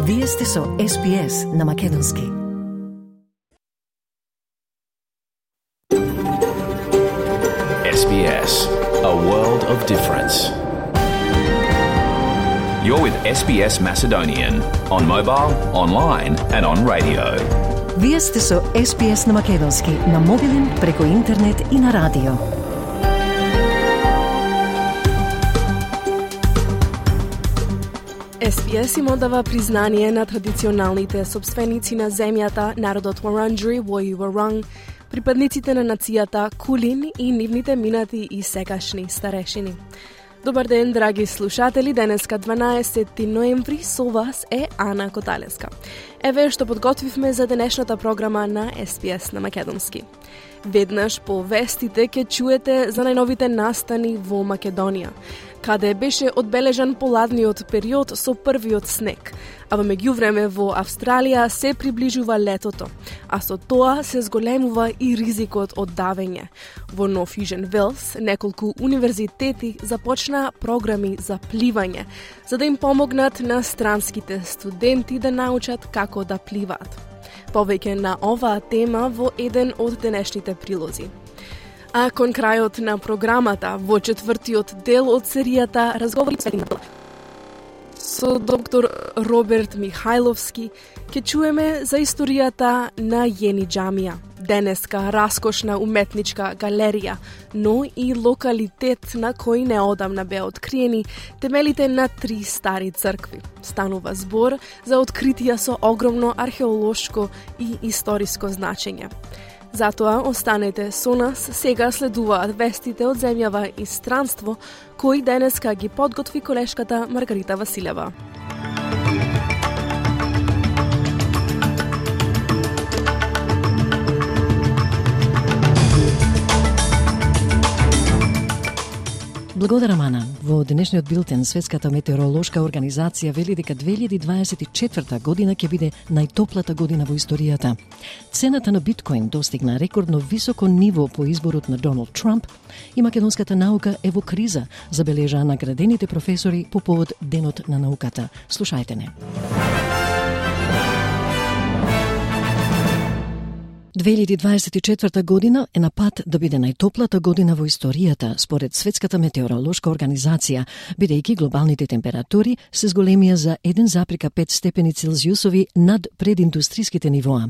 Вие сте со SPS на Македонски. SBS, a world of difference. You're with SBS Macedonian on mobile, online and on radio. Вие сте со SPS на Македонски на мобилен, преку интернет и на радио. SPS им одава признание на традиционалните собственици на земјата, народот Wurundjeri Woi Wurrung, припадниците на нацијата Кулин и нивните минати и сегашни старешини. Добар ден, драги слушатели, денеска 12 ноември, со вас е Ана Коталеска. Еве што подготвивме за денешната програма на SPS на Македонски. Веднаш по вестите ќе чуете за најновите настани во Македонија, каде беше одбележан поладниот период со првиот снег, а во меѓувреме во Австралија се приближува летото, а со тоа се зголемува и ризикот од давење. Во Нов Южен Велс неколку универзитети започнаа програми за пливање, за да им помогнат на странските студенти да научат како да пливаат. Повеќе на оваа тема во еден од денешните прилози. А кон крајот на програмата, во четвртиот дел од серијата Разговори со доктор Роберт Михајловски, ќе чуеме за историјата на Јени џамија, денеска раскошна уметничка галерија, но и локалитет на кој неодамна беа откриени темелите на 3 стари цркви. Станува збор за откритија со огромно археолошко и историско значење. Затоа останете со нас, сега следуваат вестите од земјава и странство, кои денеска ги подготви колешката Маргарита Василева. Благодарам, Ана. Во денешниот билтен Светската метеоролошка организација вели дека 2024 година ќе биде најтоплата година во историјата. Цената на биткоин достигна рекордно високо ниво по изборот на Доналд Трамп и македонската наука е во криза, забележаа наградените професори по повод Денот на науката. Слушајте не. 2024 година е на пат да биде најтоплата година во историјата, според Светската метеоролошка организација, бидејќи глобалните температури се зголемија за 1,5 степени Целзиусови над прединдустриските нивоа.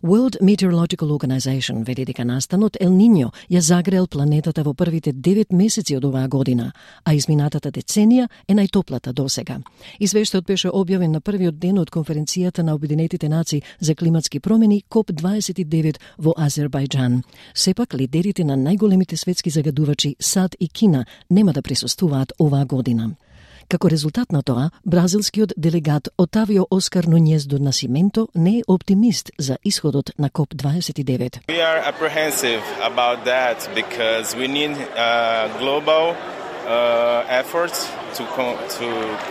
World Meteorological Organization вели дека настанот Ел Ниньо ја загрел планетата во првите 9 месеци од оваа година, а изминатата деценија е најтоплата досега. Извештајот беше објавен на првиот ден од конференцијата на Обединетите нации за климатски промени COP29 во Азербајџан. Сепак, лидерите на најголемите светски загадувачи САД и Кина нема да присуствуваат оваа година. Како резултат на тоа, бразилскиот делегат Отавио Оскар Нунјез до Насименто не е оптимист за исходот на COP29. We are apprehensive about that because we need global efforts to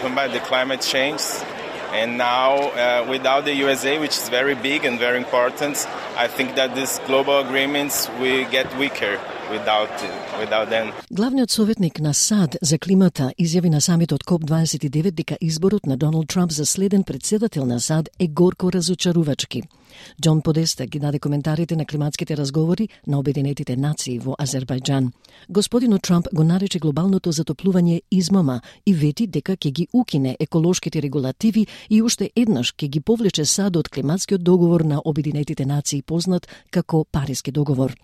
combat the climate change. And now, without the USA, which is very big and very important, I think that these global agreements will get weaker without them. Главниот советник на САД за климата изјави на самитот COP29 дека изборот на Доналд Трамп за следен председател на САД е горко разочарувачки. Џон Подеста ги даде коментарите на климатските разговори на Обединетите нации во Азербајџан. Господинот Трамп го нарече глобалното затоплување измама и вети дека ќе ги укине еколошките регулативи и уште еднаш ќе ги повлече САД од климатскиот договор на Обединетите нации, познат како Париски договор.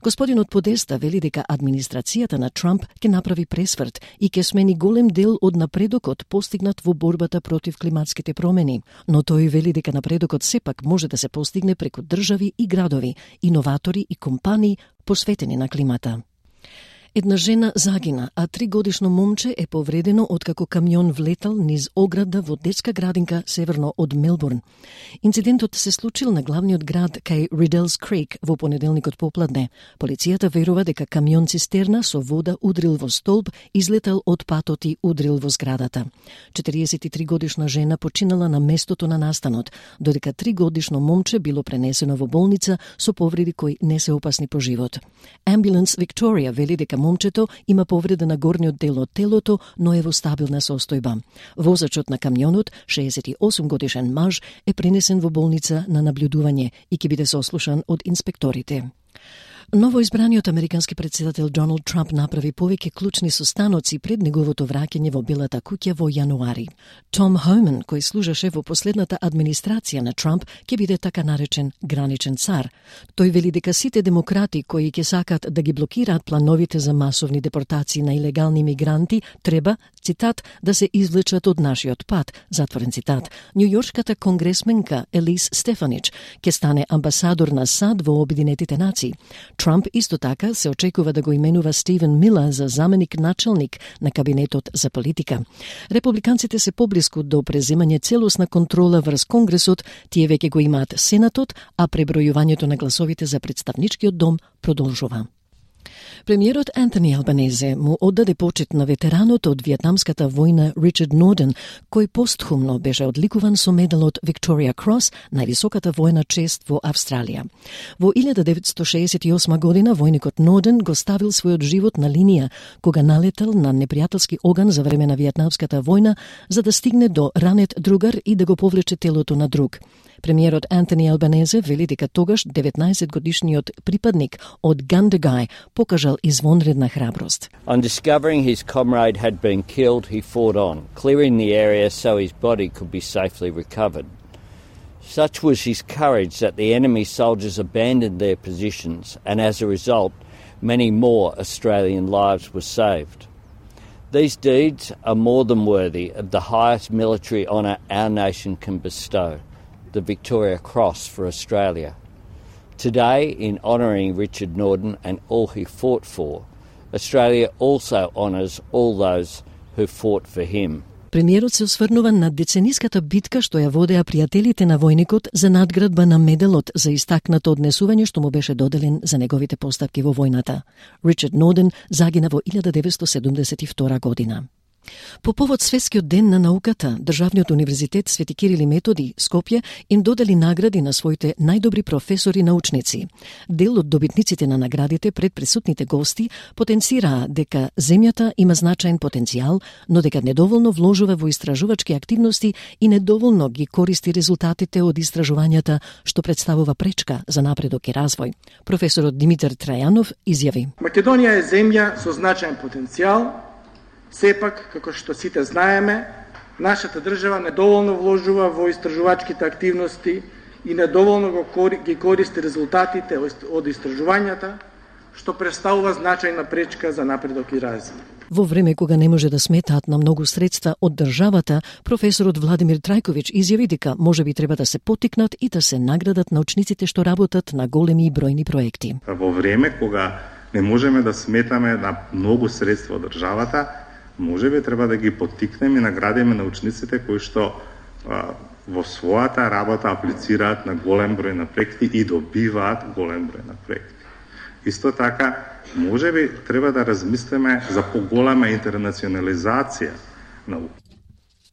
Господинот Подеста вели дека администрацијата на Трамп ќе направи пресврт и ќе смени голем дел од напредокот постигнат во борбата против климатските промени, но тој вели дека напредокот сепак може да се постигне преку држави и градови, иноватори и компании посветени на климата. Една жена загина, а 3-годишно момче е повредено откако камион влетал низ ограда во детска градинка северно од Мелбурн. Инцидентот се случил на главниот град кај Риделс Крик во понеделникот попладне. Полицијата верува дека камион цистерна со вода удрил во столб, излетал од патот и удрил во зградата. 43-годишна жена починала на местото на настанот, додека 3-годишно момче било пренесено во болница со повреди кои не се опасни по живот. Ambulance Victoria вели дека момчето има повреда на горниот дел од телото, но е во стабилна состојба. Возачот на камионот, 68 годишен маж, е пренесен во болница на наблюдување и ќе биде сослушан од инспекторите. Новоизбраниот американски председател Доналд Трамп направи повеќе клучни состаноци пред неговото враќање во Белата куќа во јануари. Том Хоуман, кој служеше во последната администрација на Трамп, ќе биде така наречен граничен цар. Тој вели дека сите демократи кои ќе сакат да ги блокираат плановите за масовни депортации на илегални мигранти треба, цитат, да се извлечат од нашиот пат, затворен цитат. Њујоршката конгресменка Елис Стефанич ќе стане амбасадор на САД во Обединетите нации. Трамп исто така се очекува да го именува Стивен Милер за заменик начелник на кабинетот за политика. Републиканците се поблиску до преземање целосна контрола врз Конгресот, тие веќе го имаат Сенатот, а пребројувањето на гласовите за представничкиот дом продолжува. Премиерот Антони Албанезе му оддаде почит на ветеранот од Виетнамската војна Ричард Норден, кој постхумно беше одликуван со медалот Victoria Cross, највисоката војна чест во Австралија. Во 1968 година војникот Норден го ставил својот живот на линија кога налетел на непријателски оган за време на Виетнамската војна за да стигне до ранет другар и да го повлече телото на друг. Премиерот Антони Албанезе вели дека тогаш 19-годишниот припадник од Gundagai покажал извонредна храброст. On discovering his comrade had been killed, he fought on, clearing the area so his body could be safely recovered. Such was his courage that the enemy soldiers abandoned their positions, and as a result, many more Australian lives were saved. These deeds are more than worthy of the highest military honour our nation can bestow, the Victoria Cross for Australia. Today, in honouring Richard Norden and all he fought for, Australia also honours all those who fought for him. Премиерот се осврнува на децениската битка што ја водеа пријателите на војникот за надградба на медалот за истакнато однесување што му беше доделен за неговите постапки во војната. Ричард Норден загина во 1972 година. По повод Светскиот ден на науката, Државниот универзитет Свети Кирил и Методи, Скопје, им додели награди на своите најдобри професори и научници. Дел од добитниците на наградите пред присутните гости потенцираа дека земјата има значаен потенцијал, но дека недоволно вложува во истражувачки активности и недоволно ги користи резултатите од истражувањата, што представува пречка за напредок и развој. Професорот Димитар Трајанов изјави: Македонија е земја со значаен потенцијал. Сепак, како што сите знаеме, нашата држава недоволно вложува во истражувачките активности и недоволно ги користи резултатите од истражувањата, што представува значајна пречка за напредок и развој. Во време кога не може да сметаат на многу средства од државата, професорот Владимир Трајковиќ изјави дека можеби треба да се поттикнат и да се наградат научниците што работат на големи и бројни проекти. Во време кога не можеме да сметаме на многу средства од државата, можеби треба да ги поттикнеме и наградиме научниците кои што во својата работа аплицираат на голем број на проекти и добиваат голем број на проекти. Исто така, можеби треба да размислиме за поголема интернационализација на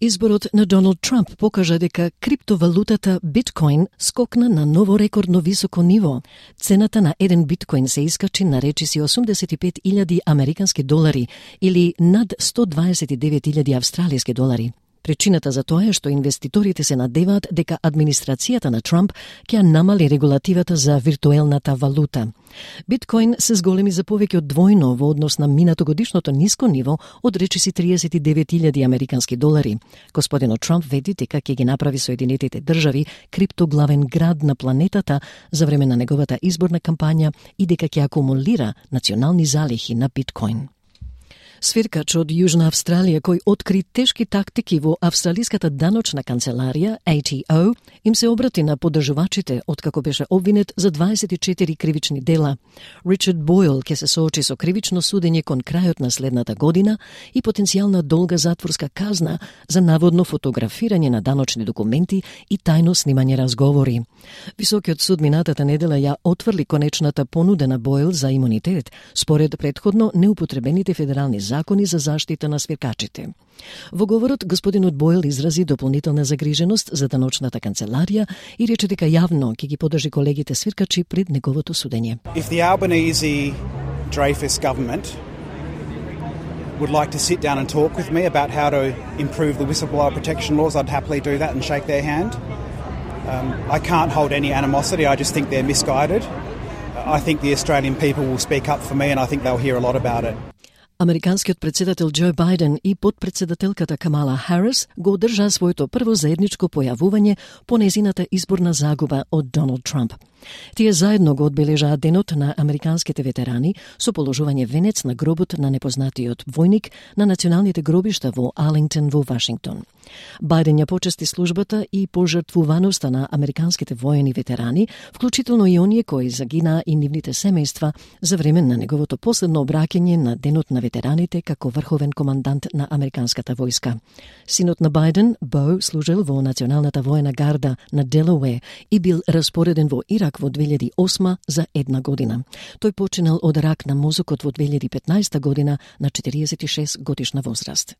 Изборот на Доналд Трамп покажа дека криптовалутата биткоин скокна на ново рекордно високо ниво. Цената на еден биткоин се искачи на речиси 85.000 американски долари или над 129.000 австралиски долари. Причината за тоа е што инвеститорите се надеваат дека администрацијата на Трамп ќе намали регулативата за виртуелната валута. Биткоин се зголеми за повеќе од двојно во однос на минатогодишното ниско ниво од речиси 39.000 американски долари. Господинот Трамп веди дека ќе ги направи Соединетите држави криптоглавен град на планетата за време на неговата изборна кампања и дека ќе акумулира национални залихи на биткоин. Свиркач од Јужна Австралија кој откри тешки тактики во австралиската даночна канцеларија ATO им се обрати на поддржувачите откако беше обвинет за 24 кривични дела. Ричард Бойл ќе се соочи со кривично судење кон крајот на следната година и потенцијална долга затворска казна за наводно фотографирање на даночни документи и тајно снимање разговори. Високиот суд минатата недела ја отврли конечната понуда на Бойл за имунитет според претходно неупотребените федерални закони за заштита на свиркачите. Во говорот, господинот Бойл изрази дополнителна загриженост за даночната канцеларија и рече дека јавно ќе ги поддржи колегите свиркачи пред неговото судење. If the Albanese Dreyfus government would like to sit down and talk with me about how to improve the whistleblower protection laws, I'd happily do that and shake their hand. I can't hold any animosity, I just think they're misguided. I think the Australian people will speak up for me and I think they'll hear a lot about it. Американскиот председател Џо Бајден и подпредседателката Камала Харис го одржаа своето прво заедничко појавување по незината изборна загуба од Доналд Трамп. Тие заедно го одбележаа денот на американските ветерани со положување венец на гробот на непознатиот војник на националните гробишта во Алингтон во Вашингтон. Бајден ја почести службата и пожртвуваноста на американските воени ветерани, вклучително и оние кои загинаа и нивните семејства за време на неговото последно обраќање на денот на ветераните како врховен командант на американската војска. Синот на Бајден, Бо, служел во Националната воена гарда на Делауер и бил распореден во Ирак во 2008 за 1 година. Тој починал од рак на мозокот во 2015 година на 46 годишна возраст.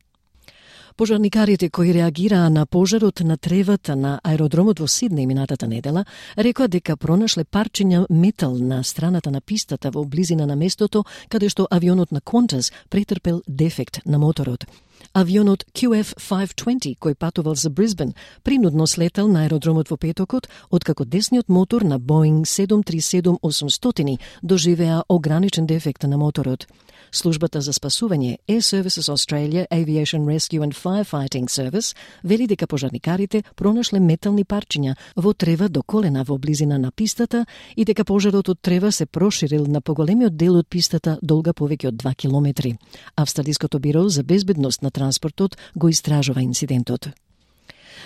Пожарникарите кои реагираа на пожарот на тревата на аеродромот во Сиднеј минатата недела рекоа дека пронашле парчиња метал на страната на пистата во близина на местото каде што авионот на Qantas претрпел дефект на моторот. Авионот QF520 кој патувал за Брисбен принудно слетал на аеродромот во петокот откако десниот мотор на Boeing 737-800 доживеа ограничен дефект на моторот. Службата за спасување Air Services Australia Aviation Rescue and Firefighting Service вели дека пожарникарите пронашле метални парчиња во трева до колена во близина на пистата и дека пожарот од трева се проширил на поголемиот дел од пистата долга повеќе од 2 километри. Австралиското биро за безбедност на транспортот го истражува инцидентот.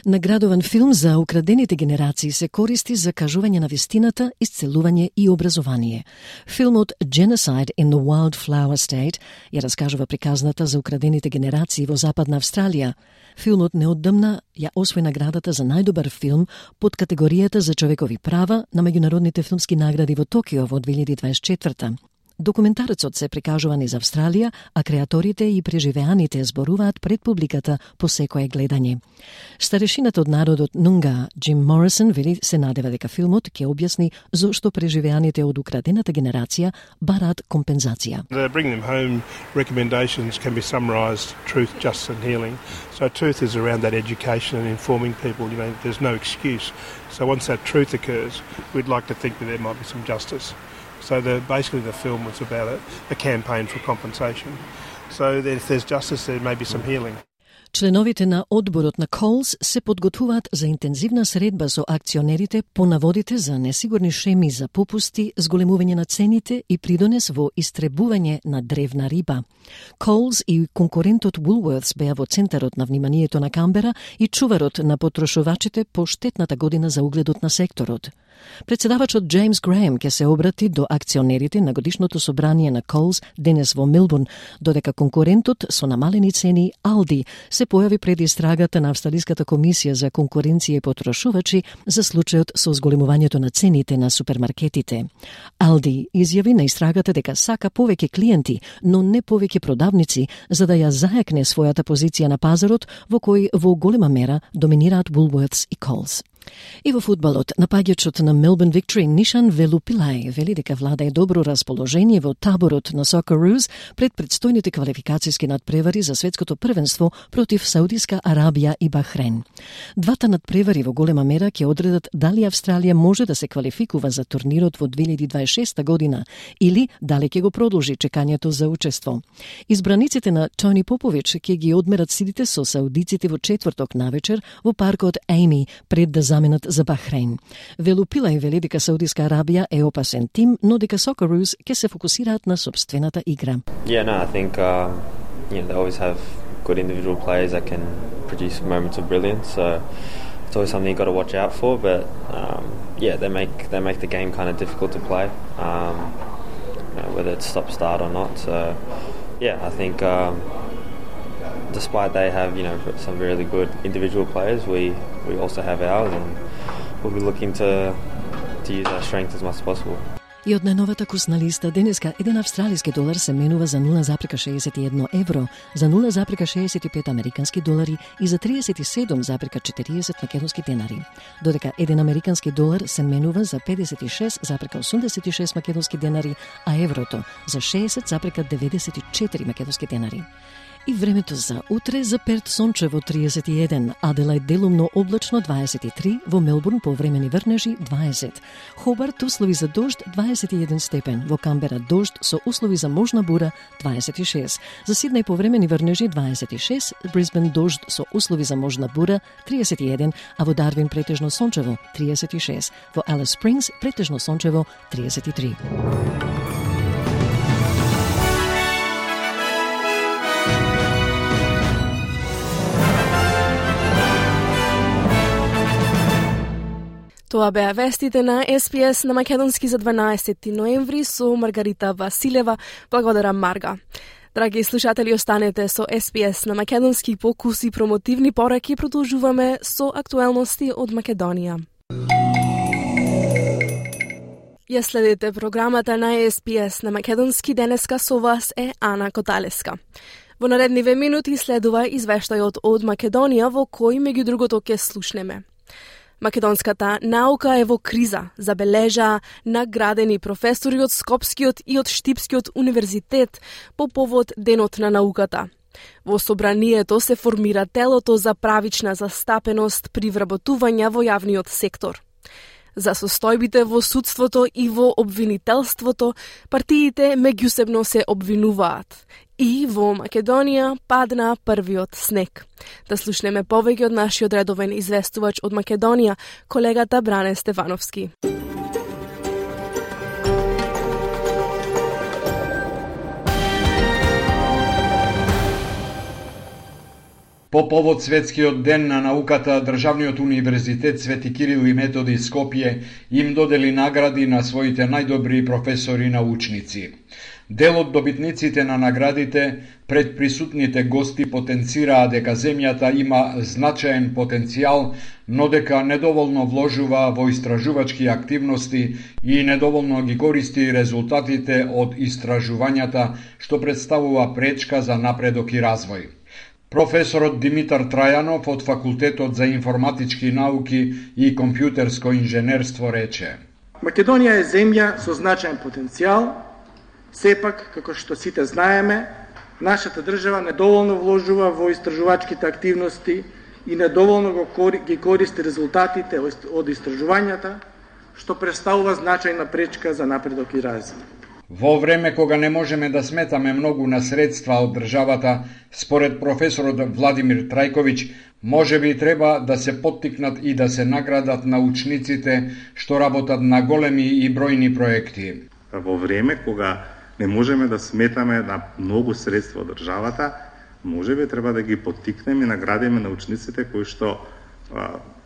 Наградуван филм за украдените генерации се користи за кажување на вистината, исцелување и образование. Филмот Genocide in the Wildflower State ја раскажува приказната за украдените генерации во Западна Австралија. Филмот неодамна ја освои наградата за најдобар филм под категоријата за човекови права на меѓународните филмски награди во Токио во 2024. Документарецот се прикажува низ Австралија, а креаторите и преживеаните зборуваат пред публиката по секое гледање. Старешината од народот Нунга, Джим Морисон, вели се надева дека филмот ќе објасни зошто преживеаните од украдената генерација бараат компензација. The Bring Them Home recommendations can be summarised truth, justice and healing. So truth is around that education and informing people, there's no excuse. So once that truth occurs, we'd like to think that there might be some justice. So basically the film was about a campaign for compensation. So that if there's justice, there may be some healing. Членовите на одборот на Coles се подготвуваат за интензивна средба со акционерите по наводите за несигурни шеми за попусти, зголемување на цените и придонес во истребување на древна риба. Coles и конкурентот Woolworths беа во центарот на вниманието на Камбера и чуварот на потрошувачите по штетната година за угледот на секторот. Председавачот Джеймс Греем ќе се обрати до акционерите на годишното собрание на Coles денес во Мелбурн, додека конкурентот со намалени цени Aldi се појави пред истрагата на Австралиската комисија за конкуренција и потрошувачи за случајот со зголемувањето на цените на супермаркетите. Aldi изјави на истрагата дека сака повеќе клиенти, но не повеќе продавници, за да ја зајакне својата позиција на пазарот во кој во голема мера доминираат Woolworths и Coles. И во фудбалот, напаѓачот на Melbourne Victory Нишан Велупилај вели дека влада е добро расположение во таборот на Socceroos пред предстојните квалификацијски надпревари за светското првенство против Саудиска Арабија и Бахрейн. Двата надпревари во голема мера ќе одредат дали Австралија може да се квалификува за турнирот во 2026 година или дали ќе го продолжи чекањето за учество. Избраниците на Тони Попович ќе ги одмерат силите со саудиците во четврток навечер во паркот Ейми пред да заменат за Бахрейн. Велупилај вели дека Саудиска Арабија е опасен тим, но дека Socceroos ќе се фокусираат на собствената игра. Yeah, no, I think they always have good individual players that can produce moments of brilliance. So it's always something you got to watch out for. But they make the game kind of difficult to play, whether it's stop-start or not. So I think despite they have some really good individual players, we also have ours, and we'll be looking to use our strength as much as possible. И од најновата курсна листа, денеска еден австралиски долар се менува за 0,61 евро, за 0,65 американски долари и за 37,40 македонски денари. Додека еден американски долар се менува за 56,86 македонски денари, а еврото за 60,94 македонски денари. И времето за утре: за Перт сончево 31, Аделајд делумно облачно 23, во Мелбурн повремени врнежи 20, Хобарт услови за дожд 21 степен, во Камбера дожд со услови за можна бура 26, за Сиднеј повремени врнежи 26, Брисбен дожд со услови за можна бура 31, а во Дарвин претежно сончево 36, во Алис Спрингс претежно сончево 33. Тоа беа вестите на СПС на македонски за 12 ноември со Маргарита Василева. Благодарам, Марга. Драги слушатели, останете со СПС на македонски по куси промотивни пораки. Продолжуваме со актуелности од Македонија. Ја следите програмата на СПС на македонски. Денеска со вас е Ана Коталеска. Во наредниве минути следува извештајот од Македонија, во кој меѓу другото ќе слушнеме. Македонската наука е во криза, забележа наградени професори од Скопскиот и од Штипскиот универзитет по повод Денот на науката. Во собранието се формира телото за правична застапеност при вработување во јавниот сектор. За состојбите во судството и во обвинителството, партиите меѓусебно се обвинуваат. И во Македонија падна првиот снег. Да слушнеме повеќе од нашиот редовен известувач од Македонија, колегата Бране Стефановски. По повод Светскиот ден на науката, Државниот универзитет Свети Кирил и Методи Скопје им додели награди на своите најдобри професори и научници. Дел од добитниците на наградите пред присутните гости потенцираа дека земјата има значаен потенцијал, но дека недоволно вложува во истражувачки активности и недоволно ги користи резултатите од истражувањата, што представува пречка за напредок и развој. Професорот Димитар Трајанов од Факултетот за информатички науки и компјутерско инженерство рече: Македонија е земја со значаен потенцијал, сепак, како што сите знаеме, нашата држава недоволно вложува во истражувачките активности и недоволно ги користи резултатите од истражувањата, што представува значајна пречка за напредок и развој. Во време кога не можеме да сметаме многу на средства од државата, според професорот Владимир Трајковиќ, може би треба да се поттикнат и да се наградат научниците што работат на големи и бројни проекти. Во време кога не можеме да сметаме на многу средства од државата, може би треба да ги поттикнеме и наградиме научниците кои што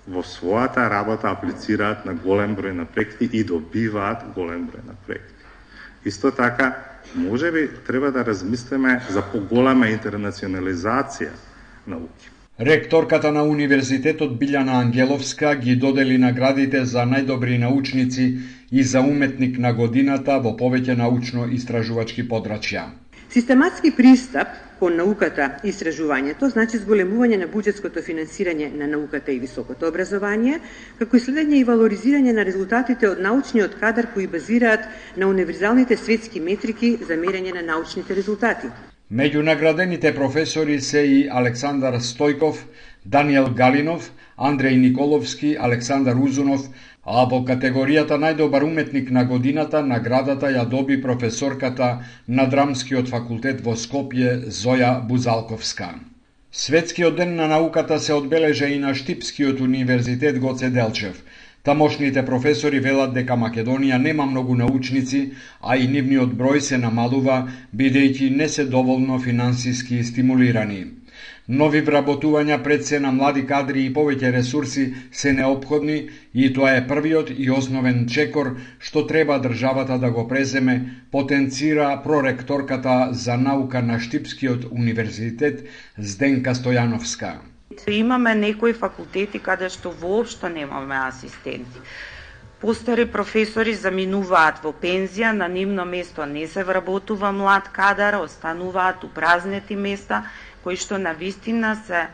во својата работа аплицираат на голем број на проекти и добиваат голем број на проекти. Исто така, може би треба да размислиме за поголема интернационализација науки. Ректорката на Универзитетот Билјана Ангеловска ги додели наградите за најдобри научници и за уметник на годината во повеќе научно-истражувачки подрачја. Систематски пристап кон науката и истражувањето значи зголемување на буџетското финансирање на науката и високото образование, како и следење и валоризирање на резултатите од научниот кадар кои базираат на универзалните светски метрики за мерење на научните резултати. Меѓу наградените професори се и Александар Стојков, Даниел Галинов, Андреј Николовски, Александар Узунов, а во категоријата најдобар уметник на годината наградата ја доби професорката на Драмскиот факултет во Скопје Зоја Бузалковска. Светскиот ден на науката се одбележа и на Штипскиот универзитет Гоце Делчев. Тамошните професори велат дека Македонија нема многу научници, а и нивниот број се намалува, бидејќи не се доволно финансиски стимулирани. Нови вработувања пред се на млади кадри и повеќе ресурси се неопходни и тоа е првиот и основен чекор што треба државата да го преземе, потенцира проректорката за наука на Штипскиот универзитет Зденка Стојановска. Имаме некои факултети каде што воопшто немаме асистенти. Постари професори заминуваат во пензија, на нивно место не се вработува млад кадар, остануваат упразнети места кои што навистина се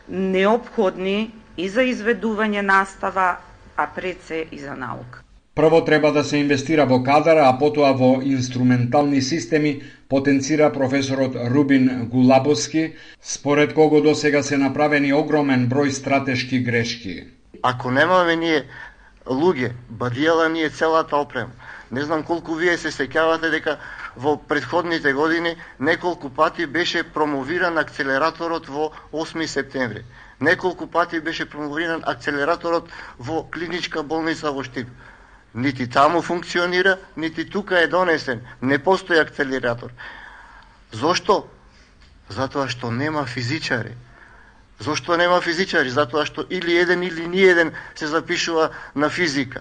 неопходни и за изведување настава, а пред се и за наука. Прво треба да се инвестира во кадар, а потоа во инструментални системи, потенцира професорот Рубин Гулабовски, според кого досега се направени огромен број стратешки грешки. Ако немаме ние луѓе, бадијала ние целата опрема. Не знам колку вие се сеќавате дека во претходните години неколку пати беше промовиран акцелераторот во 8 септември. Неколку пати беше промовиран акцелераторот во клиничка болница во Штип. Нити таму функционира, нити тука е донесен. Не постои акцелератор. Зошто? Затоа што нема физичари. Зошто нема физичари? Затоа што или еден или ниеден се запишува на физика.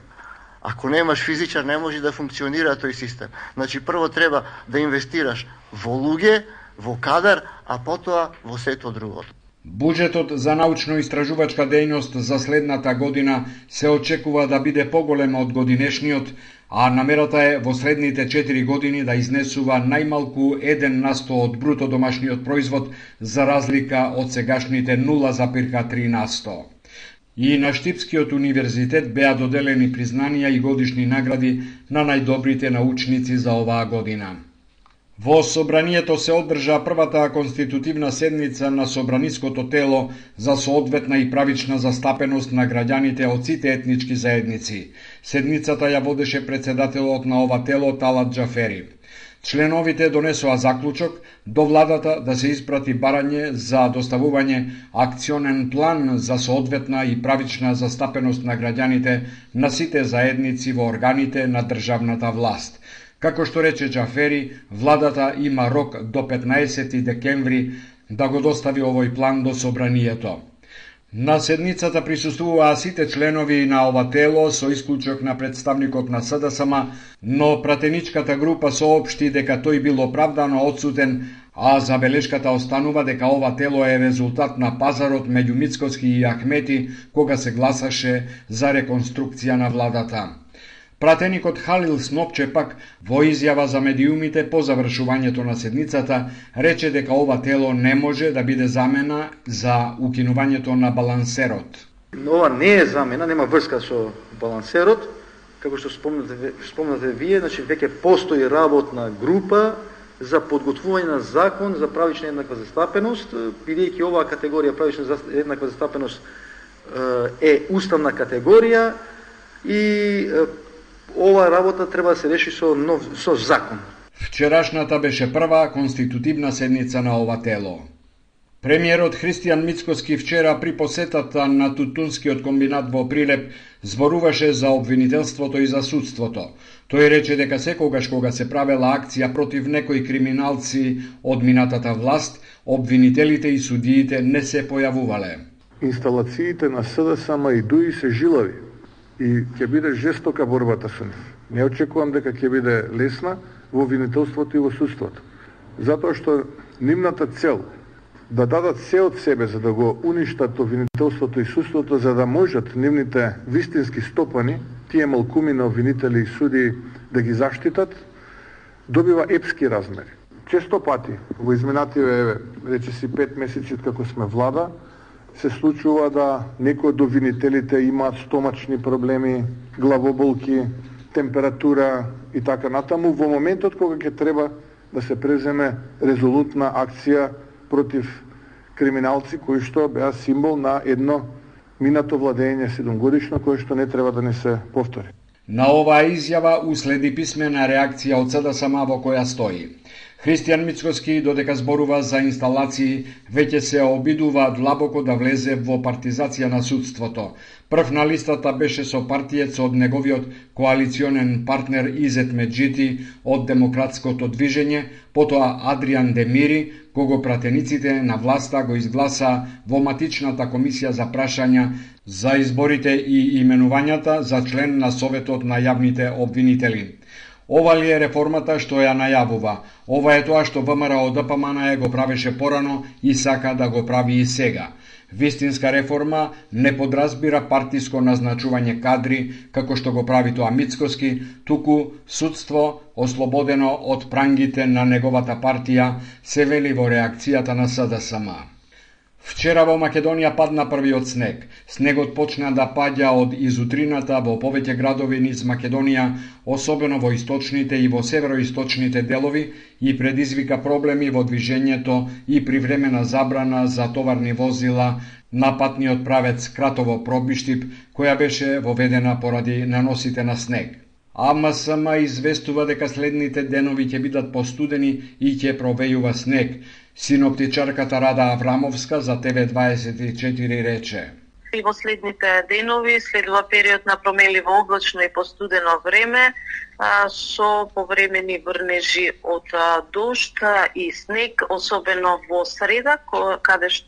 Ако немаш физичар, не може да функционира тој систем. Значи, прво треба да инвестираш во луѓе, во кадар, а потоа во сето другото. Буџетот за научно-истражувачка дејност за следната година се очекува да биде поголем од годинешниот, а намерата е во следните 4 години да изнесува најмалку 1% од бруто домашниот производ, за разлика од сегашните 0,3%. И на Штипскиот универзитет беа доделени признанија и годишни награди на најдобрите научници за оваа година. Во Собранието се одржа првата конститутивна седница на Собраниското тело за соодветна и правична застапеност на граѓаните од сите етнички заедници. Седницата ја водеше председателот на ова тело Талат Џафери. Членовите донесоа заклучок до владата да се испрати барање за доставување акционен план за соодветна и правична застапеност на граѓаните на сите заедници во органите на државната власт. Како што рече Џафери, владата има рок до 15 декември да го достави овој план до Собранието. На седницата присуствуваа сите членови на ова тело со исклучок на представникот на СДСМ, но пратеничката група соопшти дека тој бил оправдано отсутен, а забелешката останува дека ова тело е резултат на пазарот меѓу Мицкоски и Ахмети кога се гласаше за реконструкција на владата. Пратеникот Халил Снопче пак во изјава за медиумите по завршувањето на седницата рече дека ова тело не може да биде замена за укинувањето на балансерот. Ова не е замена, нема врска со балансерот, како што спомнате вие, значи веќе постои работна група за подготвување на закон за правична еднаква застапеност, бидејќи оваа категорија правична еднаква застапеност е уставна категорија и ова работа треба да се реши со закон. Вчерашната беше прва конститутивна седница на ова тело. Премиерот Христијан Мицкоски вчера при посетата на тутунскиот комбинат во Прилеп зборуваше за обвинителството и за судството. Тој рече дека секогаш кога се правела акција против некои криминалци од минатата власт, обвинителите и судиите не се појавувале. Инсталациите на СДСМ и ДУИ се жилави и ќе биде жестока борбата со нив. Не очекувам дека ќе биде лесна во обвинителството и во судството. Затоа што нивната цел да дадат се од себе за да го уништат обвинителството и судството, за да можат нивните вистински стопани, тие малкуми на обвинители и суди, да ги заштитат, добива епски размери. Често пати во изминативе, речиси 5 месеци како сме влада, се случува да некои од обвинителите имаат стомачни проблеми, главоболки, температура и така натаму, во моментот кога ќе треба да се преземе резолутна акција против криминалци кои што беа символ на едно минато владење 7-годишно, кое што не треба да не се повтори. На оваа изјава уследи писмена реакција од СДСМ во која стои: Христијан Мицкоски, додека зборува за инсталации, веќе се обидува длабоко да влезе во партизација на судството. Прв на листата беше со партиец од неговиот коалиционен партнер Изет Меджити од Демократското движење, потоа Адриан Демири, кого пратениците на власта го изгласа во матичната комисија за прашања за изборите и именувањата за член на Советот на јавните обвинители. Ова ли е реформата што ја најавува? Ова е тоа што ВМРО ДПМН го правеше порано и сака да го прави и сега. Вистинска реформа не подразбира партиско назначување кадри, како што го прави тоа Мицкоски, туку судство, ослободено од прангите на неговата партија, се вели во реакцијата на СДСМ. Вчера во Македонија падна првиот снег. Снегот почна да паѓа од изутрината во повеќе градови низ Македонија, особено во источните и во североисточните делови, и предизвика проблеми во движењето и привремена забрана за товарни возила на патниот правец Кратово-Пробиштип, која беше воведена поради наносите на снег. АМСМ известува дека следните денови ќе бидат постудени и ќе провејува снег. Синоптичарката Рада Аврамовска за ТВ24 рече: И во следните денови следува период на променливо облачно и постудено време со повремени врнежи од дожд и снег, особено во среда,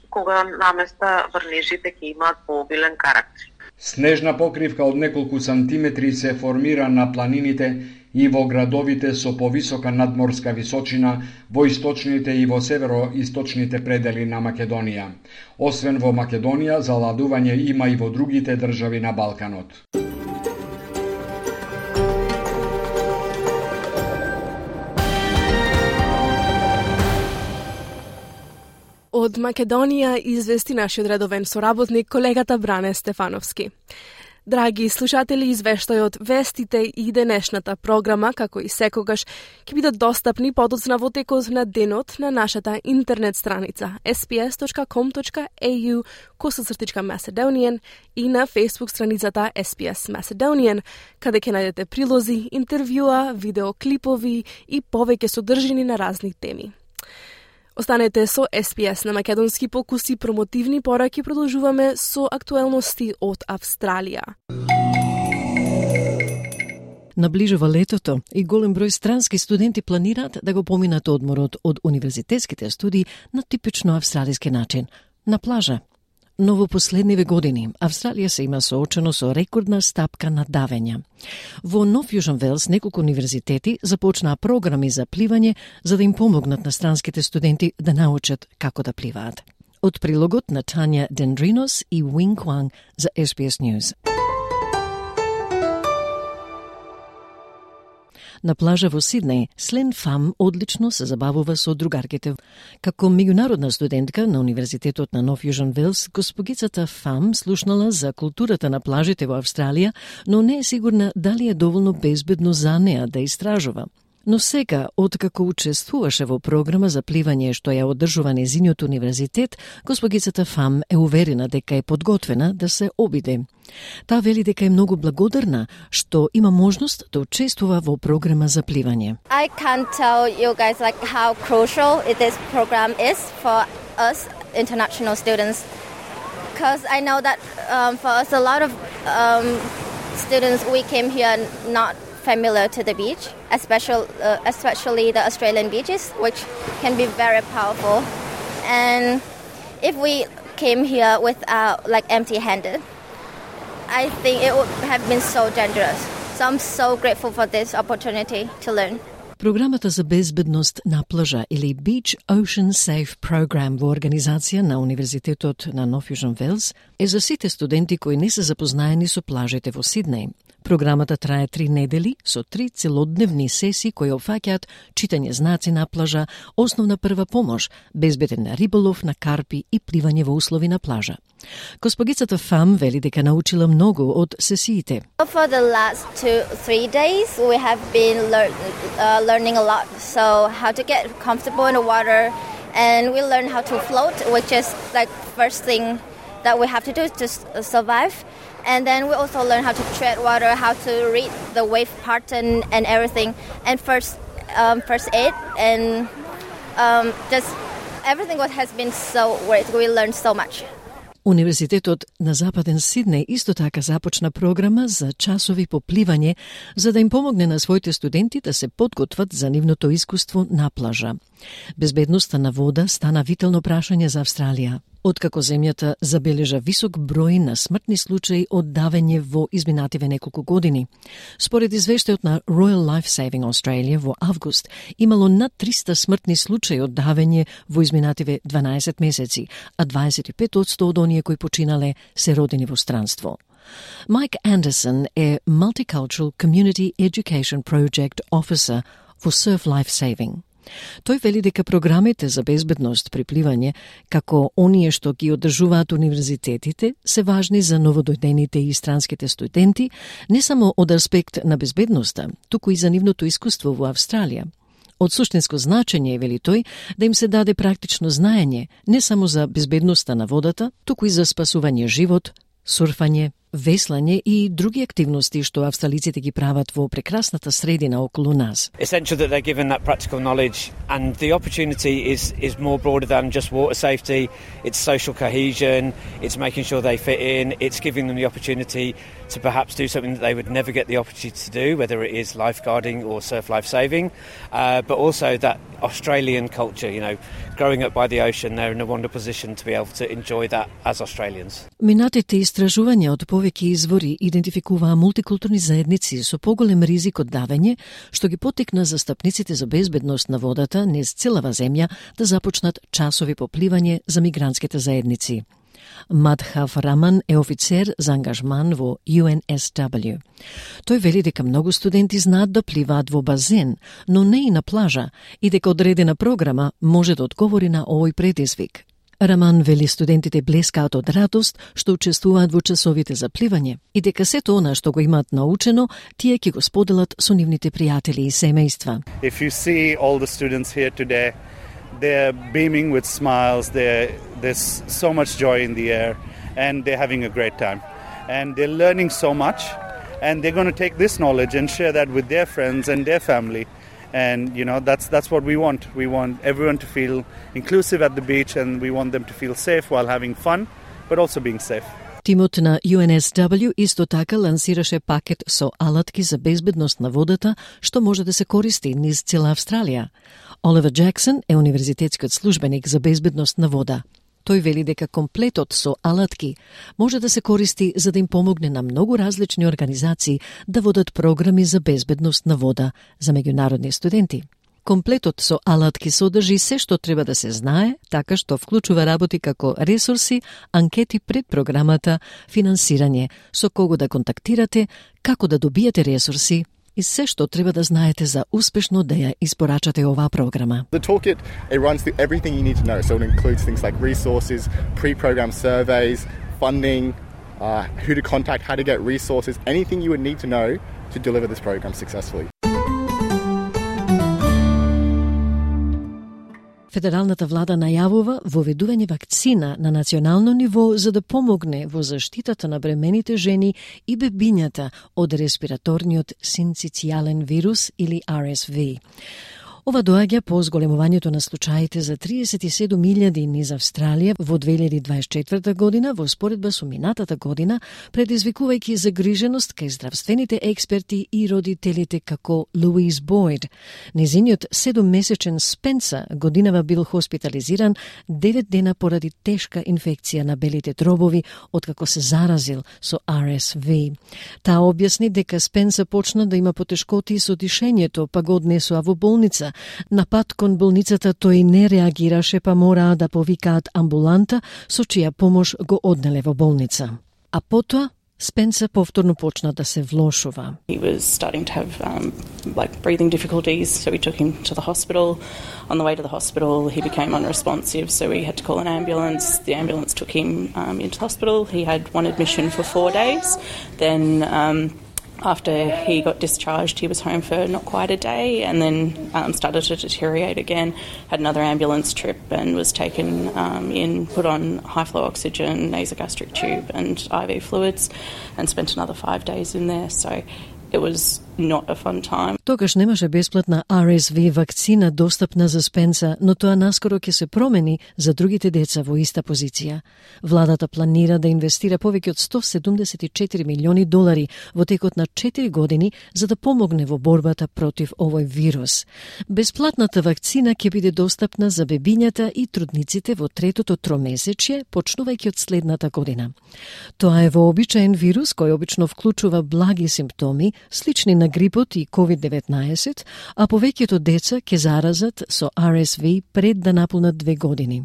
кога наместа врнежите ќе имаат пообилен карактер. Снежна покривка од неколку сантиметри се формира на планините и во градовите со повисока надморска височина, во источните и во североисточните предели на Македонија. Освен во Македонија, заладување има и во другите држави на Балканот. Од Македонија извести нашиот редовен соработник, колегата Бране Стефановски. Драги слушатели, извештајот, вестите и денешната програма, како и секогаш, ќе бидат достапни подоцна во текот на денот на нашата интернет страница sps.com.au/Macedonian и на Facebook страницата SPS Macedonian, каде ќе најдете прилози, интервјуа, видеоклипови и повеќе содржини на разни теми. Останете со SPS на македонски покуси, промотивни пораки. Продолжуваме со актуелности од Австралија. Наближува летото и голем број странски студенти планираат да го поминат одморот од универзитетските студии на типично австралиски начин – на плажа. Но во последниве години Австралија се има соочено со рекордна стапка на давења. Во Нов Јужен Велс неколку универзитети започнаа програми за пливање за да им помогнат на странските студенти да научат како да пливаат. Од прилогот на Тања Дендринос и Wing Kwang за SBS News. На плажа во Сиднеј, Слен Фам одлично се забавува со другарките. Како меѓународна студентка на Универзитетот на Нов Јужен Велс, госпогицата Фам слушнала за културата на плажите во Австралија, но не е сигурна дали е доволно безбедно за неа да истражува. Но сега, откако учествуваше во програма за пливање што ја одржува незиниот универзитет, госпогицата Фам е уверена дека е подготвена да се обиде. Таа вели дека е многу благодарна што има можност да учествува во програма за пливање. I can't tell you guys like how crucial this program is for us international students, because I know that for us a lot of students we came here not familiar to the beach, especially the Australian beaches, which can be very powerful. And if we came here without like empty-handed, I think it would have been so dangerous. So I'm so grateful for this opportunity to learn. Програмата за безбедност на плажа или Beach Ocean Safe Program во организација на Универзитетот на Нов Јужен Велс е за сите студенти кои не се запознаени со плажите во Сиднеј. Програмата трае 3 недели со 3 целодневни сесии кои опфаќаат читање знаци на плажа, основна прва помош, безбеден риболов на карпи и пливање во услови на плажа. Госпогицата Фам вели дека научила многу од сесиите. For the last 2-3 days we have been learning a lot, so how to get comfortable in the water, and we learn how to float, which is like first thing that we have to do to survive. And then we also learn how to tread water, how to read the wave pattern and everything, and first aid, and just everything what has been so great. We learned so much. Универзитетот на Западен Сиднеј исто така започна програма за часови по пливање за да им помогне на своите студенти да се подготват за нивното искуство на плажа. Безбедноста на вода стана витално прашање за Австралија. откако земјата забележа висок број на смртни случаи од давење во изминативе неколку години. Според извештајот на Royal Life Saving Australia во август, имало над 300 смртни случаи од давење во изминативе 12 месеци, а 25% од оние кои починале се родени во странство. Mike Anderson е Multicultural Community Education Project Officer во Surf Life Saving. Тој вели дека програмите за безбедност при пливање, како оние што ги одржуваат универзитетите, се важни за новодојдените и странските студенти, не само од аспект на безбедноста, туку и за нивното искуство во Австралија. Од суштинско значење е, вели тој, да им се даде практично знаење, не само за безбедноста на водата, туку и за спасување живот, сурфање, веслање и други активности што австралиците ги прават во прекрасната средина околу нас. Essential that they're given that practical knowledge, and the opportunity is more broader than just water safety. It's social cohesion, it's making sure they fit in, it's giving them the opportunity to perhaps do something that they would never get the opportunity to do, whether it is lifeguarding or surf life saving, but also that Australian culture, growing up by the ocean, they're in a wonderful position to be able to enjoy that as Australians. Минатите истражувања од повеќе извори идентификуваа мултикултурни заедници со поголем ризик од давење, што ги поттикна застапниците за безбедност на водата низ целава земја да започнат часови по пливање за мигрантските заедници. Мадхав Раман е офицер за ангажман во UNSW. Тој вели дека многу студенти знаат да пливаат во базен, но не и на плажа, и дека одредена програма може да одговори на овој предизвик. Раман вели студентите блескаат од радост што учествуваат во часовите за пливање и дека сето она што го имаат научено, тие ќе го споделат со нивните пријатели и семејства. If you see all the students here today, they're beaming with smiles, there's so much joy in the air, and they're having a great time. And they're learning so much, and they're going to take this knowledge and share that with their friends and their family. And, that's what we want. We want everyone to feel inclusive at the beach, and we want them to feel safe while having fun, but also being safe. Тимот на UNSW исто така лансираше пакет со алатки за безбедност на водата, што може да се користи низ цела Австралија. Оливер Джексон е универзитетскиот службеник за безбедност на вода. Тој вели дека комплетот со алатки може да се користи за да им помогне на многу различни организации да водат програми за безбедност на вода за меѓународни студенти. Комплетот со алатки содржи се што треба да се знае, така што вклучува работи како ресурси, анкети пред програмата, финансирање, со кого да контактирате, како да добиете ресурси и се што треба да знаете за успешно да ја испорачате оваа програма. The toolkit, it runs through everything you need to know, so it includes things like resources, pre-program surveys, funding, who to contact, how to get resources, anything you would need to know to deliver this program successfully. Федералната влада најавува воведување вакцина на национално ниво за да помогне во заштитата на бремените жени и бебињата од респираторниот синцитијален вирус или RSV. Ова доаѓа по зголемувањето на случаите за 37.000 низ Австралија во 2024 година во споредба со минатата година, предизвикувајќи загриженост кај здравствените експерти и родителите како Луиз Бойд. Незиниот 7-месечен Спенса годинава бил хоспитализиран 9 дена поради тешка инфекција на белите дробови откако се заразил со RSV. Таа објасни дека Спенса почна да има потешкоти со дишењето, па го однесоа во болница. На пат кон болницата тој не реагираше, па мораа да повикаат амбуланта, со чија помош го однеле во болница. А потоа Спенса повторно почна да се влошува. He was starting to have breathing difficulties, so we took him to the hospital. On the way to the hospital, he became unresponsive, so we had to call an ambulance. The ambulance took him into the hospital. He had one admission for 4 days. Then after he got discharged, he was home for not quite a day, and then started to deteriorate again. Had another ambulance trip and was taken in, put on high-flow oxygen, nasogastric tube and IV fluids, and spent another 5 days in there. So it was not a fun time. Тогаш немаше бесплатна RSV вакцина достапна за Спенса, но тоа наскоро ќе се промени за другите деца во иста позиција. Владата планира да инвестира повеќе од $174 милиони во текот на 4 години за да помогне во борбата против овој вирус. Бесплатната вакцина ќе биде достапна за бебињата и трудниците во третото тромесечје, почнувајќи од следната година. Тоа е вообичаен вирус кој обично вклучува благи симптоми, слични на грипот и COVID-19, а повеќето деца ќе заразат со RSV пред да наполнат 2 години.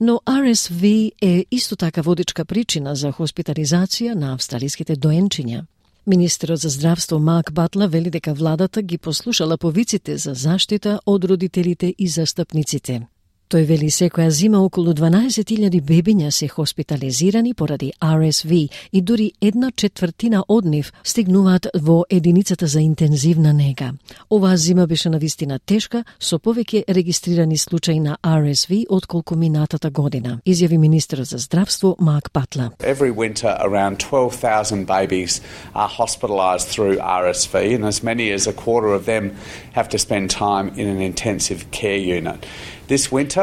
Но RSV е исто така водичка причина за хоспитализација на австралиските доенчиња. Министерот за здравство Марк Батлер вели дека владата ги послушала повиците за заштита од родителите и застапниците. Тој вели секоја зима околу 12.000 бебиња се хоспитализирани поради RSV и дури 1/4 од нив стигнуваат во единицата за интензивна нега. Оваа зима беше навистина тешка, со повеќе регистрирани случаи на RSV отколку минатата година, изјави министерот за здравство Марк Батлер. Every winter around 12,000 babies are hospitalised through RSV, and as many as a quarter of them have to spend time in an intensive care unit. This winter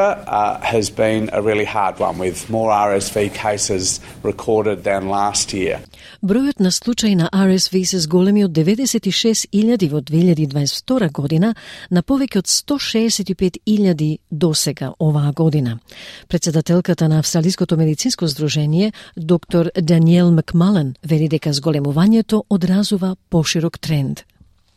has been a really hard one, with more RSV cases recorded than last year. Бројот на случаи на RSV се зголеми од 96.000 во 2022 година на повеќе од 165.000 досега оваа година. Председателката на Австралиското медицинско здружение, доктор Даниел Макмален, вели дека зголемувањето одразува поширок тренд.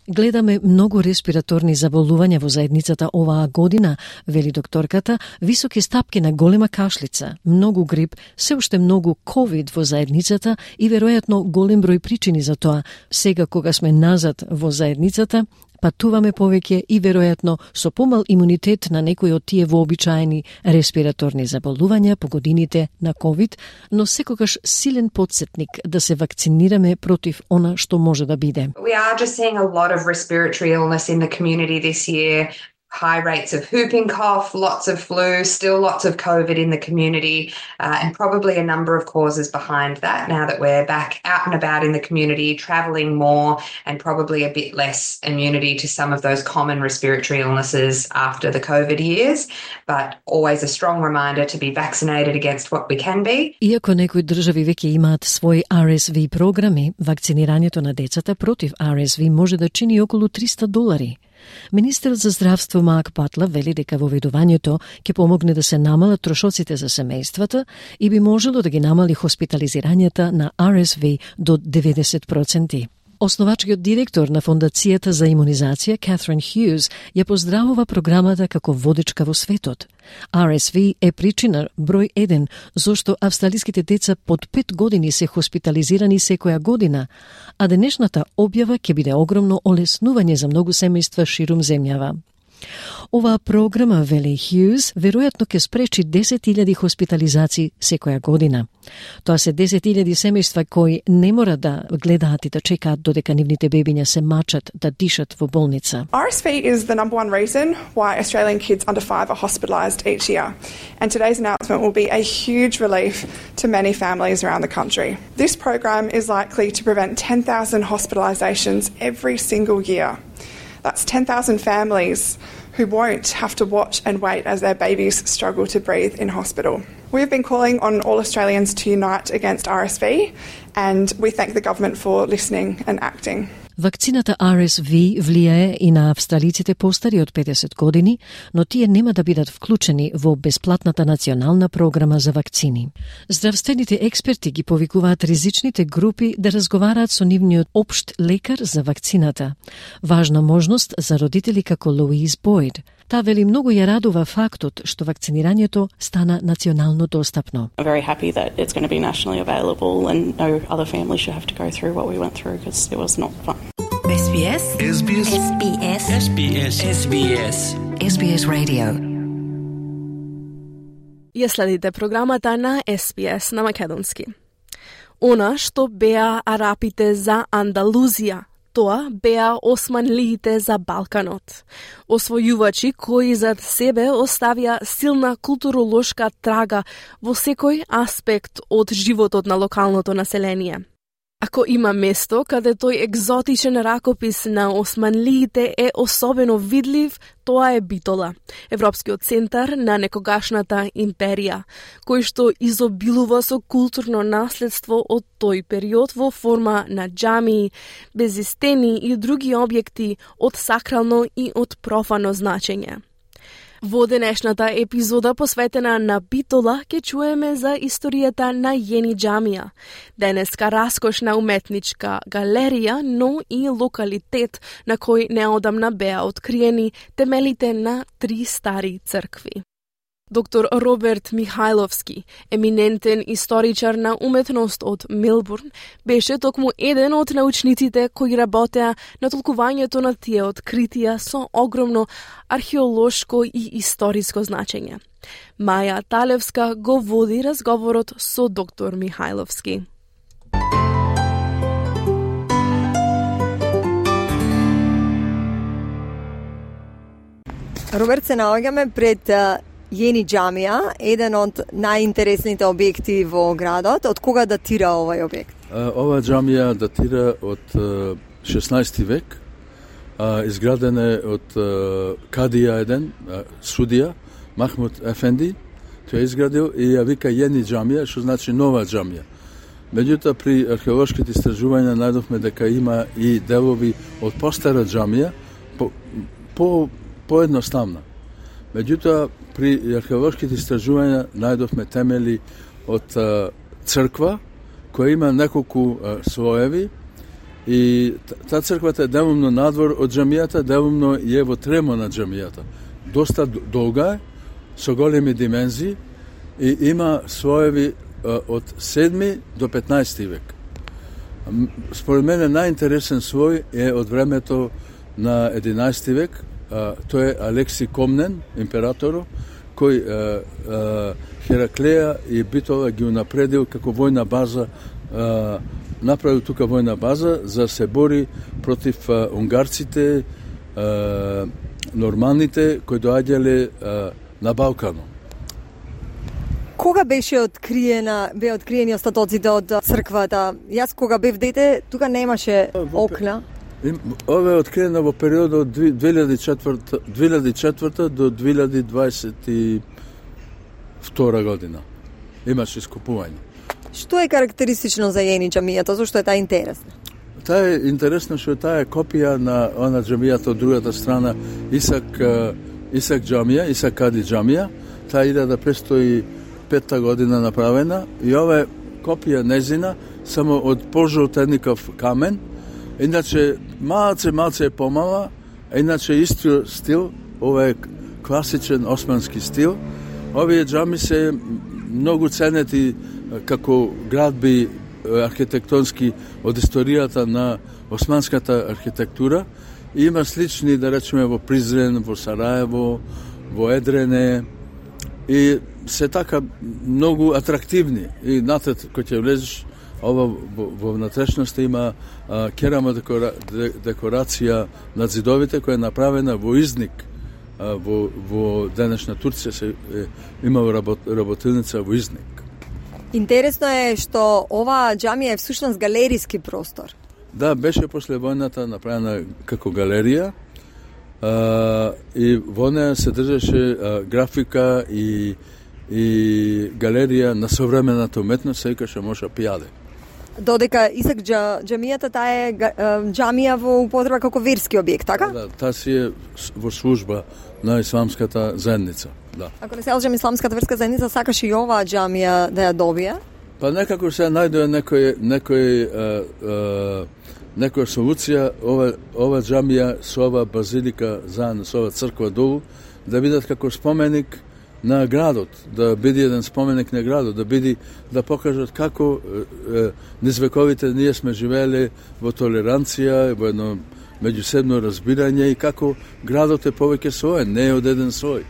Гледаме многу респираторни заболувања во заедницата оваа година, вели докторката, високи стапки на голема кашлица, многу грип, се уште многу COVID во заедницата и веројатно голем број причини за тоа. Сега кога сме назад во заедницата, патуваме повеќе и веројатно со помал имунитет на некои од тие вообичаени респираторни заболувања по годините на COVID, но секогаш силен потсетник да се вакцинираме против она што може да биде. We are just seeing a lot of respiratory illness in the community this year. High rates of whooping cough, lots of flu, still lots of COVID in the community, and probably a number of causes behind that now that we're back out and about in the community, travelling more, and probably a bit less immunity to some of those common respiratory illnesses after the COVID years, but always a strong reminder to be vaccinated against what we can be. Иако некои држави веќе имаат своји RSV програми, вакцинирањето на децата против RSV може да чини околу $300. Министерот за здравство Марк Батлер вели дека воведувањето ќе помогне да се намалат трошоците за семејствата и би можело да ги намали хоспитализирањата на RSV до 90%. Основачкиот директор на Фондацијата за имунизација, Катрин Хјуз, ја поздравува програмата како водечка во светот. RSV е причина број 1 зошто австралиските деца под 5 години се хоспитализирани секоја година, а денешната објава ќе биде огромно олеснување за многу семејства ширум земјава. Оваа програма, вели Хјуз, веројатно ќе спречи 10.000 хоспитализации секоја година. Тоа се 10.000 семејства кои не мора да гледаат и да чекаат додека нивните бебиња се мачат да дишат во болница. RSV is the number one reason why Australian kids under 5 are hospitalised each year, and today's announcement will be a huge relief to many families around the country. This program is likely to prevent 10,000 hospitalisations every single year. That's 10,000 families who won't have to watch and wait as their babies struggle to breathe in hospital. We've been calling on all Australians to unite against RSV, and we thank the government for listening and acting. Вакцината RSV влијае и на австралиците постари од 50 години, но тие нема да бидат вклучени во бесплатната национална програма за вакцини. Здравствените експерти ги повикуваат ризичните групи да разговараат со нивниот општ лекар за вакцината. Важна можност за родители како Луиз Бойд. Таа вели многу ја радува фактот што вакцинирањето стана национално достапно. I'm very happy that it's going to be nationally available and no other family should have to go through what we went through because it was not fun. SBS SBS SBS SBS SBS SBS Radio. Ја следите програмата на SBS на македонски. Она што беа арапите за Андалузија, тоа беа османлиите за Балканот. Освојувачи кои зад себе оставија силна културолошка трага во секој аспект од животот на локалното население. Ако има место каде тој екзотичен ракопис на османлиите е особено видлив, тоа е Битола, Европскиот центар на некогашната империја, кој што изобилува со културно наследство од тој период во форма на џамии, безистени и други објекти од сакрално и од профано значење. Во денешната епизода посветена на Битола ќе чуеме за историјата на Јени џамија, денеска раскошна уметничка галерија, но и локалитет на кој неодамна беа откриени темелите на 3 стари цркви. Доктор Роберт Михајловски, еминентен историчар на уметност од Мелбурн, беше токму еден од научниците кои работеа на толкувањето на тие откритија со огромно археолошко и историско значење. Маја Талевска го води разговорот со доктор Михајловски. Роберт, се наоѓаме пред Јени џамија, еден од најинтересните објекти во градот. Од кога датира овој објект? Ова џамија датира од 16 век. Изградена е од кадија еден, судија, Махмуд Ефенди. Тој изградил и ја вика Јени џамија, што значи нова џамија. Меѓутоа, при археолошките истражувања најдовме дека има и делови од постара џамија, поедноставна. Меѓутоа, при археолошките истражувања најдовме темели од црква, која има неколку слоеви, и таа црквата е делумно надвор од џамијата, делумно е во тремо на џамијата. Доста долга е, со големи димензии, и има слоеви од 7 до 15 век. Според мене најинтересен слој е од времето на 11 век. Тој е Алекси Комнен, императоро, кој Хераклеја и Битола ги унапредил како војна база, направил тука војна база за се бори против унгарците, норманите кои доаѓале на Балкано. Кога беше откриени остатоците од црквата? Јас кога бев дете, тука немаше окна. Ова е откриено во периодот од 2004 до 2022 година. Имаше искупување. Што е карактеристично за Јени џамијата? Зошто е таа интересна? Таа е интересна што таа е копија на она џамијата од другата страна, Исак џамија, Исак Кади џамија. Таа 1505 година направена и ова е копија незина, само од пожолтеников камен. Иначе малце е помала, иначе истиот стил, ова е класичен османски стил. Овие џами се многу ценети како градби архитектонски од историјата на османската архитектура. И има слични, да речеме, во Призрен, во Сараево, во Едрене, и се така многу атрактивни. И натат, кој ќе влезеш, ова во внатрешноста има керама декорација на зидовите која е направена во Изник. Во денешна Турција има работилница во Изник. Интересно е што ова џамија е всушност галериски простор. Да, беше после војната направена како галерија, и во неја се држеше графика и галерија на современата уметност, се викаше Моша Пијаде. Додека Исак џамијата, таа е џамија во употреба како верски објект, така? Да, таа си е во служба на исламската заедница, да. Ако не се лажам, исламската верска заедница сакаше и оваа џамија да ја добие? Па некако се најдоа некоја солуција, ова џамија со ова базилика заедно со ова црква долу, да бидат како споменик на градот, да биде еден споменик на градот, да покажат како низ вековите ние сме живееле во толеранција, во едно меѓусебно разбирање и како градот е повеќе свој, не е од еден слој.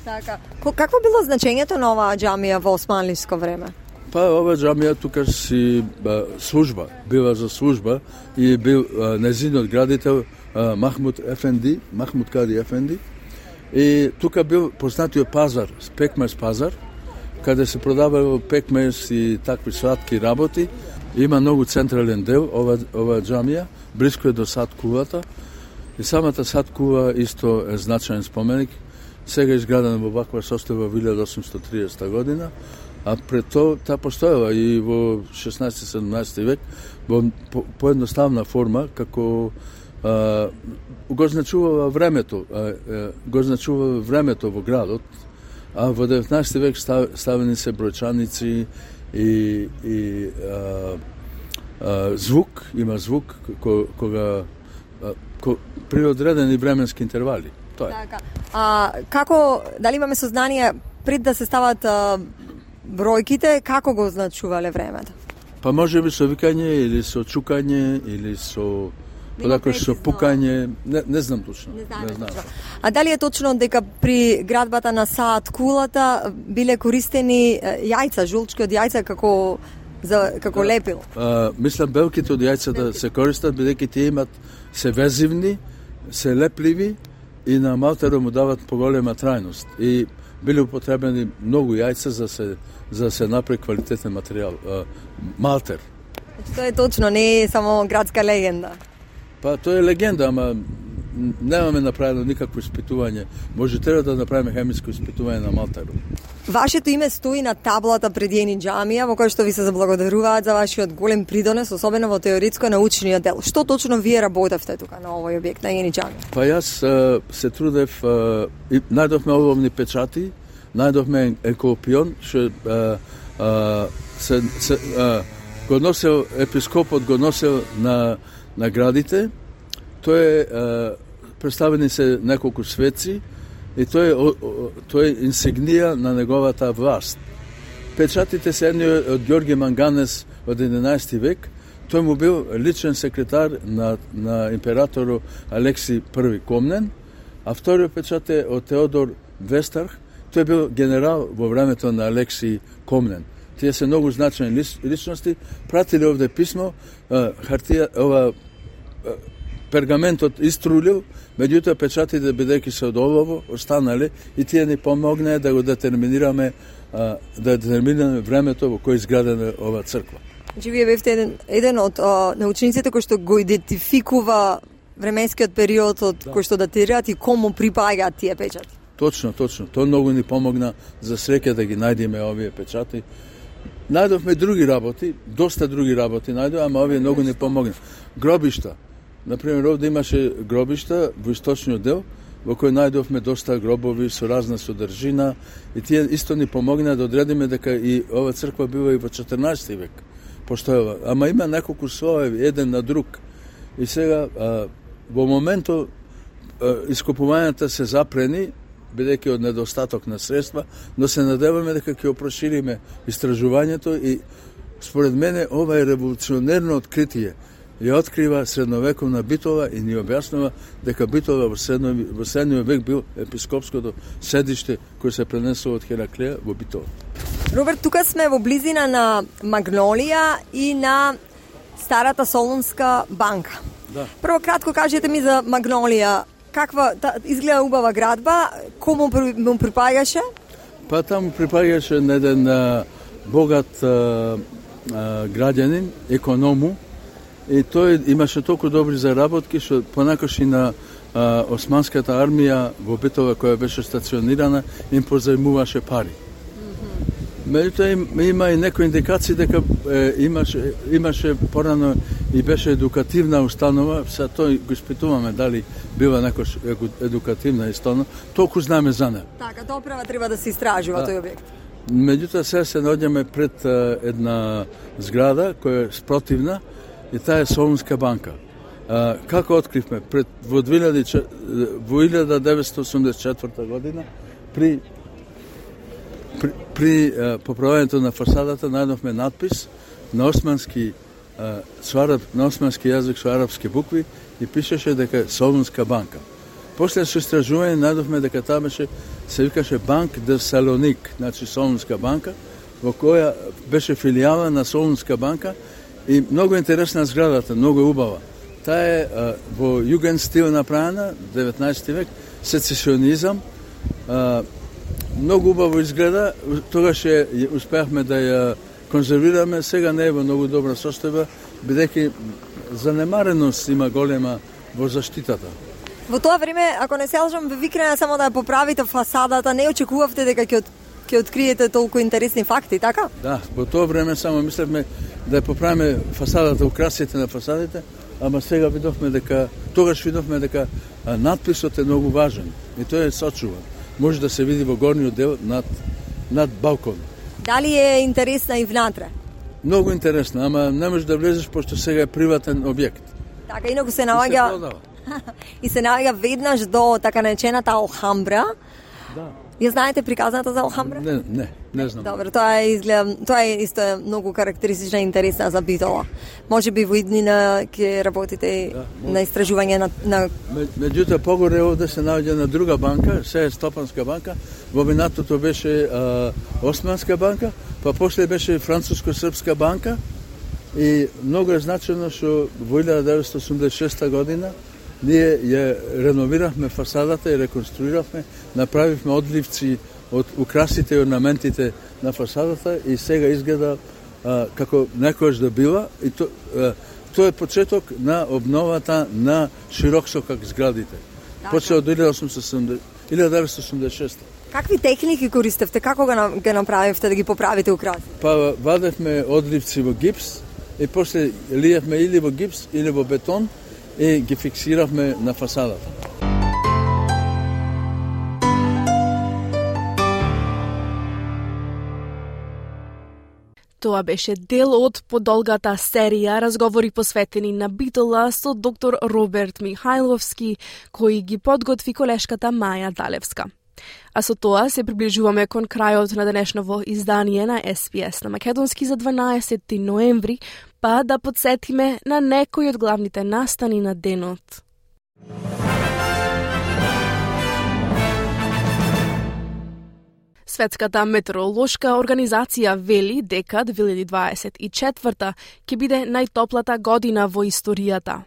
Така. Какво било значењето на оваа џамија во османлиско време? Па ова џамија тука си служба, била за служба и бил незинот градител Махмуд Кади Ефенди. И тука бил познатиот пазар, пекмес пазар, каде се продавало пекмес и такви сладки работи. Има многу централен дел ова џамија, блиско е до Сад Кувата. И самата Сад Кува исто е значаен споменик. Сега изградена во ваква состојба во 1830 година, а пред тоа таа постоела и во 16-17 век во поедноставна форма, како го значувала времето, во градот, а во 19 век ставени се бројчаници и звук, има звук кога при одредени временски интервали. Тоа е. Така. Како, дали имаме сознание пред да се стават бројките, како го означувале времето? Па може би со викање или со чукање или со со пукање, не знам точно. Не знам. А дали е точно дека при градбата на Саад Кулата биле користени јајца, жулчки од јајца како лепило? Мислам белките од јајцата се користат бидејќи тие имат се везивни, се лепливи и на малтерот му дават поголема трајност. И биле употребени многу јајца за да се направи квалитетен материјал. Малтер. Тоа е точно, не е само градска легенда. Па тоа е легенда, ама немаме направено никакво испитување. Може треба да направиме хемиско испитување на малтерот. Вашето име стои на таблата пред Јени џамија, во која што ви се заблагодаруваат за вашиот голем придонес, особено во теоретско научниот дел. Што точно вие работевте тука на овој објект на Јени џамија? Па јас се трудев, најдовме оловни печати, најдовме енколпион, што го носел епископот, го носел на градите. Тоа е представени се неколку светци и тоа е инсигнија на неговата власт. Печатите се едни од Ѓорги Манганес од 11 век. Тој му бил личен секретар на императору Алекси I Комнен, а вториот печат е од Теодор Вестарх. Тој бил генерал во времето на Алекси Комнен. Тие се многу значајни личности. Пратиле овде писмо, пергаментот иструлил, меѓутоа печатите бидејќи се од олово останале и тие ни помогнаа да го детерминираме времето во кој изградена ова црква. Значи вие бевте еден од научниците кој што го идентификува временскиот период од кој што датираат и кому припаѓаат тие печати. Точно. Тоа многу ни помогна за среќа да ги најдеме овие печати. Најдовме други работи, доста други работи најдовме, ама овие многу ни помогна. Гробишта. Например, овде имаше гробишта во источниот дел, во кој најдовме доста гробови со разна содржина и тие исто ни помогна да одредиме дека и ова црква била и во 14 век постоела. Ама има неколку слоеви, еден на друг. И сега, во моментот, ископувањата се запрени, бидејќи од недостаток на средства, но се надеваме дека ќе опрошириме истражувањето и според мене ова е револуционерно откритие. Ја открива средновековна Битола и ни објаснува дека Битола во средниот век бил епископското седиште кој се пренесува од Хераклеја во Битола. Роберт, тука сме во близина на Магнолија и на старата Солунска банка. Да. Прво кратко кажете ми за Магнолија. Каква изгледа убава градба, кому му припаѓаше? Па таму припаѓаше на еден богат граѓанин, економу, и тој имаше толку добри заработки што понакош и на османската армија во Битола која беше стационирана им позајмуваше пари. Меѓутоа има и некои индикации дека имаше порано и беше едукативна установа, сега тој го испитуваме дали била некош едукативна установа, толку знаме за неа. Така, доправа треба да се истражува тој објект. Меѓутоа сега се наоѓаме пред една зграда која е спротивна и таа е Солунска банка. Како откривме? Во 1984 година при поправањето на фасадата најдовме надпис на османски јазик со арапски букви и пишеше дека е Солунска банка. После со истражување најдовме дека таа се викаше Банк де Салоник, значи Солунска банка, во која беше филијала на Солунска банка и многу интересна зградата, многу убава. Таа е во југен стил направена, 19 век, сецесионизам, многу убаво изгледа, тогаш успеавме да ја конзервираме, сега не е во многу добра состојба, бидејќи занемареност има голема во заштитата. Во тоа време, ако не се лажам, ве викнаа само да ја поправите фасадата, не очекувавте дека ќе откриете толку интересни факти, така? Да, во тоа време само мислевме да ја поправиме фасадата, украсите на фасадите, ама сега тогаш видовме дека надписот е многу важен и тој е сочуван. Може да се види во горниот дел над балкон. Дали е интересна и внатре? Многу интересна, ама не можеш да влезеш пошто сега е приватен објект. Така, инаку се наоѓа и се наоѓа веднаш до така наречената Алхамбра. Да. Ја знаете приказната за Алхамбра? Не знам. Добро, тоа е исто многу карактеристична и интересна за Битола. Може би во иднина ќе работите на истражување на... Меѓутоа, погоре овде се наоѓа на друга банка, се е Стопанска банка, во минатото беше Османска банка, па после беше Француско-српска банка и многу е значено што во 1986 година ние ја реновиравме фасадата и реконструиравме, направивме одливци од украсите и орнаментите на фасадата и сега изгледа како некојаш да била и тоа е почеток на обновата на широксокак зградите. Почеа од 1986. Какви техники користевте? Како ги направивте да ги поправите украсите? Па вадевме одливци во гипс и после лиевме или во гипс или во бетон и ги фиксиравме на фасадата. Тоа беше дел од подолгата серија разговори посветени на Битола со доктор Роберт Михајловски, кој ги подготви колешката Маја Далевска. А со тоа се приближуваме кон крајот на денешново издание на SPS на македонски за 12 ноември, па да подсетиме на некои од главните настани на денот. Светската метеоролошка организација вели дека 2024 ќе биде најтоплата година во историјата.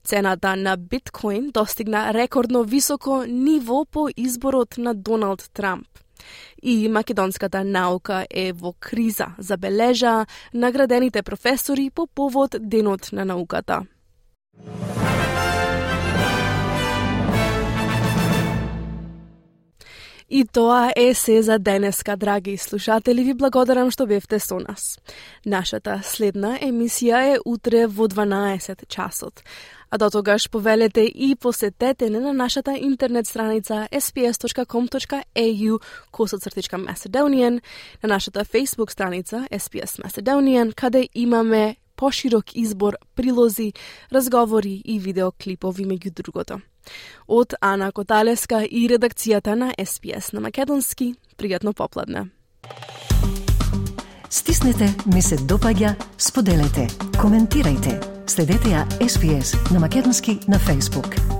Цената на биткоин достигна рекордно високо ниво по изборот на Доналд Трамп. И македонската наука е во криза, забележа наградените професори по повод Денот на науката. И тоа е се за денеска, драги слушатели. Ви благодарам што бевте со нас. Нашата следна емисија е утре во 12 часот. А до тогаш повелете и посетете на нашата интернет страница sps.com.au/Macedonian, на нашата Facebook страница SPS Macedonian, каде имаме поширок избор прилози, разговори и видеоклипови меѓу другото. Од Ана Коталеска и редакцијата на SPS на македонски, пријатно попладне. Стиснете, ми се допаѓа, споделете, коментирајте. Следете ја SPS на македонски на Facebook.